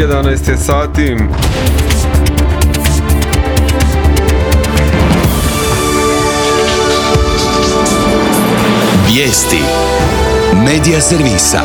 11 je sati. Vijesti Medija servisa.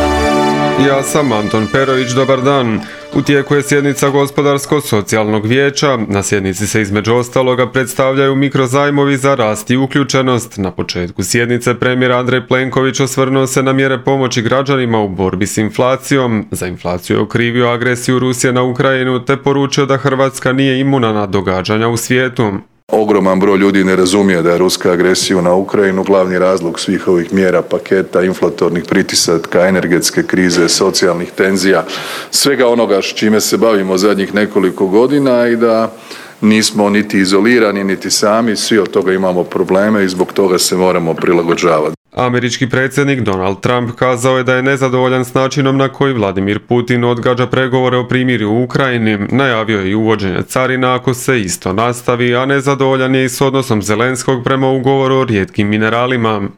Ja sam Anton Perović, dobar dan. U tijeku je sjednica Gospodarsko-socijalnog vijeća. Na sjednici se između ostaloga predstavljaju mikrozajmovi za rast i uključenost. Na početku sjednice premijer Andrej Plenković osvrnuo se na mjere pomoći građanima u borbi s inflacijom. Za inflaciju je okrivio agresiju Rusije na Ukrajinu te poručio da Hrvatska nije imuna na događanja u svijetu. Ogroman broj ljudi ne razumije da je ruska agresija na Ukrajinu glavni razlog svih ovih mjera, paketa, inflatornih pritisaka, energetske krize, socijalnih tenzija, svega onoga s čime se bavimo zadnjih nekoliko godina i da nismo niti izolirani, niti sami, svi od toga imamo probleme i zbog toga se moramo prilagođavati. Američki predsjednik Donald Trump kazao je da je nezadovoljan s načinom na koji Vladimir Putin odgađa pregovore o primirju u Ukrajini. Najavio je i uvođenje carina ako se isto nastavi, a nezadovoljan je i s odnosom Zelenskog prema ugovoru o rijetkim mineralima.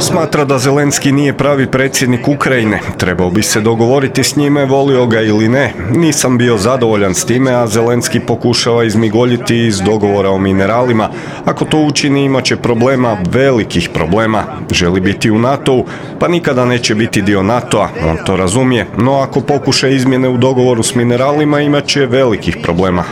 Smatra da Zelenski nije pravi predsjednik Ukrajine. Trebao bi se dogovoriti s njime, volio ga ili ne. Nisam bio zadovoljan s time, a Zelenski pokušava izmigoljiti iz dogovora o mineralima. Ako to učini, imat će problema, velikih problema. Želi biti u NATO-u, pa nikada neće biti dio NATO-a, on to razumije. No ako pokuša izmjene u dogovoru s mineralima, imat će velikih problema.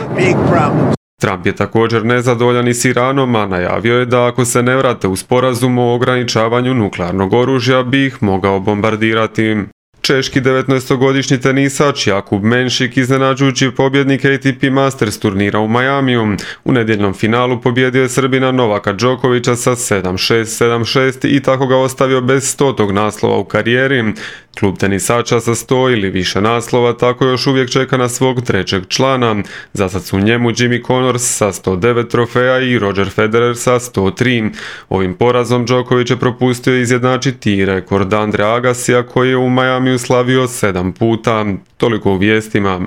Trump je također nezadovoljan i s Iranom, a najavio je da ako se ne vrate u sporazum o ograničavanju nuklearnog oružja bi ih mogao bombardirati. Češki 19-godišnji tenisač Jakub Menšik iznenađujući pobjednik ATP Masters turnira u Majamiju. U nedjeljnom finalu pobjedio je Srbina Novaka Đokovića sa 7-6, 7-6 i tako ga ostavio bez 100. naslova u karijeri. Klub tenisača sa 100 ili više naslova tako još uvijek čeka na svog trećeg člana. Zasad su njemu Jimmy Connors sa 109 trofeja i Roger Federer sa 103. Ovim porazom Đoković je propustio izjednačiti i rekord Andrea Agassija koji je u Majamiju slavio 7 puta. Toliko u vijestima.